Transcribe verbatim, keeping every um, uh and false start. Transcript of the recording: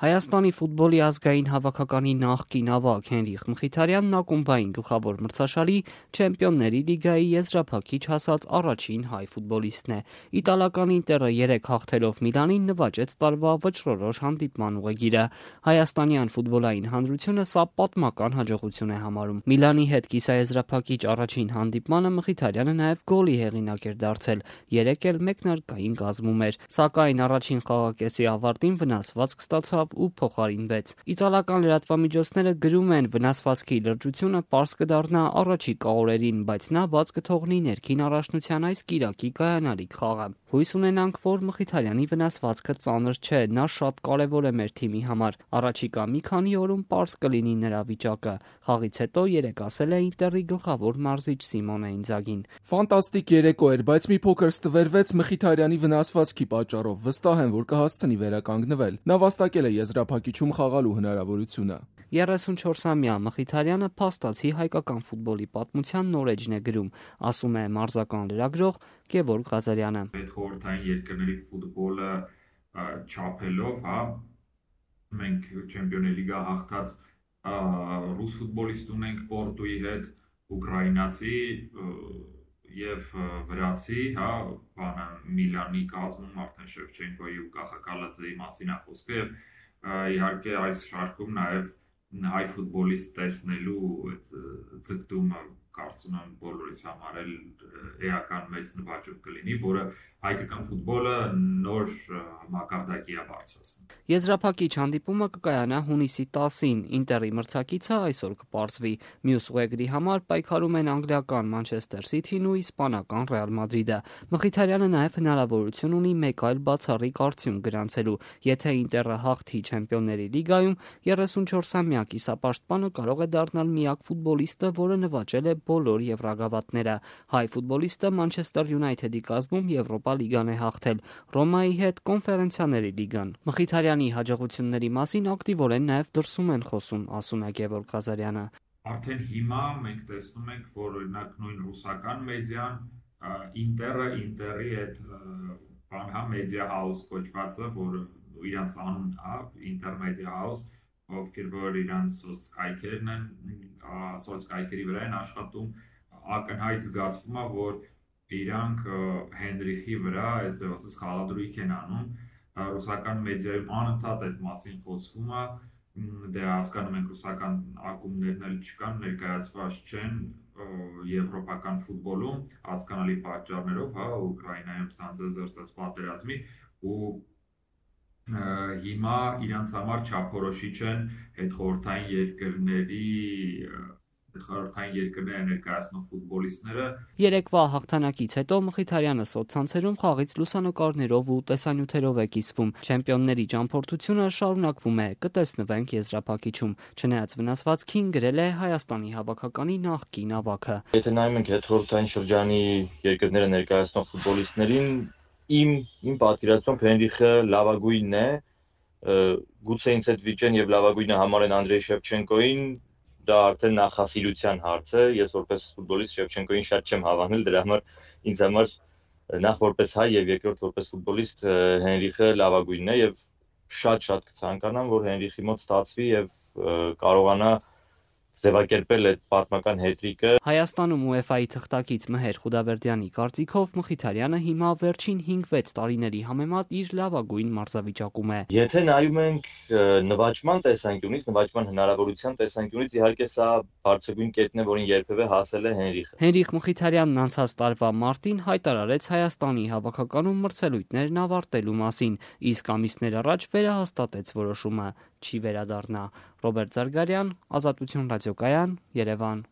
Հայաստանի ֆուտբոլի ազգային հավաքականի նախկին ավագ Հենրիխ Մխիթարյանն ակումբային գլխավոր մրցաշարի Չեմպիոնների լիգայի եզրափակիչ հասած առաջին հայ ֆուտբոլիստն է։ Իտալական Ինտերը երեք հաղթելով Միլանին նվաճեց տարվա վճռորոշ հանդիպման ուղեգիրը։ Հայաստանյան ֆուտբոլային հանրությունը սա պատմական հաջողություն է համարում։ Միլանի հետ կիսաեզրափակիչ առաջին հանդիպմանը Մխիթարյանը նաև գոլի հեղինակ էր դարձել, երեք էլ մեկնարկային կազմում էր, սակայն առաջին խաղակեսի ավարտին վնասվածք ստացավ ու փոխարինվեց։ Իտալական լրատվամիջոցները գրում են, վնասվածքի լրջությունը պարզ կդառնա առաջիկա օրերին, բայց նա բաց կթողնի ներքին առաջնության այս կիրակի կայանալիք խաղը։ Հույս ունենանք, որ Մխիթարյանի վնասվածքը ծանր չէ, նա շատ կարևոր է մեր թիմի համար։ Առաջիկա մի քանի օրում պարզ կլինի նրա վիճակը։ Խաղից հետո երեկ ասել է Ինտերի գլխավոր մարզիչ Սիմոնե Ինձագին։ Ֆանտաստիկ երեկո էր, բայց մի փոքր ստվերվեց Մխիթարյանի վնասվածքի պատճառով։ Վստահ եմ, որ կհասցնի վերականգնվել։ Նա վաստակել է եզրափակիչում խաղալու հնարավորությունը։ երեսունչորսամյա Մխիթարյանը փաստացի հայկական ֆուտբոլի պատմության նոր էջն է գրում, ասում է մարզական լրագրող Գևորգ Ղազարյանը։ Այդ խորհրդային երկրների ֆուտբոլը չափելով, հա, մենք Չեմպիոնների լիգա հաղթած ռուս ֆուտբոլիստ ունենք Պորտուի հետ, ուկրաինացի եւ վրացի, հա, բանը Միլանի կազմում արդեն Շևչենկոյի ու Կախակալաձեի մասին է խոսքը եւ իհարկե այս շարքում նաև հայ ֆուտբոլիստ տեսնելու այդ ձգտումը կարծում եմ բոլորիս համար էլ էական մեծ նվաճում կլինի, որը հայկական ֆուտբոլը նոր մակարդակի է բարձրացնում։ Եզրափակիչ հանդիպումը կկայանա հունիսի տասին, Ինտերի մրցակիցը այսօր կպարզվի։ Մյուս ուղեգրի համար պայքարում են անգլիական Մանչեսթեր Սիթին ու իսպանական Ռեալ Մադրիդը։ Մխիթարյանը նաև հնարավորություն ունի մեկ այլ բացառիկ արդյունք գրանցելու։ Եթե Ինտերը հաղթի Չեմպիոնների լիգայում, երեսունչորսամյա կիսապաշտպանը կարող է դառնալ միակ ֆուտբոլիստը, որը նվաճել է բոլոր եվրագավաթները։ Հայ ֆուտբոլիստը Մանչեսթեր Յունայթեդի կազմում Եվրոպա լիգան է հաղթել, Ռոմայի հետ Կոնֆերենցիաների լիգան։ Մխիթարյանի հաջողությունների մասին ակտիվորեն նաև դրսում են խոսում, ասում է Գևորգ Ղազարյանը։ Արդեն հիմա մենք տեսնում ենք, որ օրինակ նույն ռուսական մեդիան Ինտերը, Ինտերի այդ բան հա մեդիա հաուս կոչվածը, որ իրանց անուն հա ինտերմեդիա հաուս, ովքեր որ իրանց սոցկայքերն են, սոցկայքերի վրա են աշխատում, ակնհայտ զգացվում է, որ իրանք Հենրիխի վրա այս ձևացած խաղադրույք են անում, ռուսական մեդիայում անընդհատ այդ մասին խոսվում է, դե հասկանում ենք ռուսական ակումբներն էլ չկան, ներկայացված չեն եվրոպական ֆուտբոլում, հասկանալի պատճառներով, հա, Ուկրաինայում ցանցազերծած պատերազմի ու հիմա իրանց համար չափորոշիչ են այդ խորհրդային երկրների խորհրդային երկրները ներկայացնող ֆուտբոլիստները։ Երեկվա հաղթանակից հետո Մխիթարյանը սոցցանցերում խաղից լուսանկարներով ու տեսանյութերով է կիսվում։ Չեմպիոնների ճամփորդությունը շարունակվում է, կտեսնվենք եզրափակիչում։ Չնայած վնասվածքին, գրել է Հայաստանի հավաքականի նախկին ավագը։ Եթե նայում ենք այդ խորհրդային շրջանի երկրները ներկայացնող ֆուտբոլիստներին, իմ իմ պատկերացումով Հենրիխը լավագույնն է, գուցե ինձ հետ վիճեն եւ լավագույնը համարեն Անդրեյ Շևչենկոին, դա արդեն նախասիրության հարց է, ես որպես ֆուտբոլիստ Շևչենկոին շատ չեմ հավանել, դրա համար ինձ համար նախ որպես հայ եւ երկրորդ որպես ֆուտբոլիստ Հենրիխը լավագույնն է եւ շատ-շատ կցանկանամ, որ Հենրիխի մոտ ստացվի եւ կարողանա ձևակերպել այդ պատմական հետրիկը։ Հայաստանում ՈՒԵՖԱ-ի թղթակից Մհեր Խուդավերդյանի կարծիքով Մխիթարյանը հիմա վերջին հինգ-վեց տարիների համեմատ իր լավագույն մարզավիճակում է։ Եթե նայում ենք նվաճման տեսանկյունից, նվաճման հնարավորության տեսանկյունից, իհարկե սա բարձրագույն կետն է, որին երբևէ հասել է Հենրիխը։ Հենրիխ Մխիթարյանն անցած տարվա մարտին հայտարարեց Հայաստանի հավաքականում մրցելույթներն ավարտելու մասին, իսկ ամիսներ առաջ վերահաստատեց որոշումը՝ չի վերադառնա։ Ռոբերտ Զարգարյան, Ազատություն ռադիոկայան, Երևան։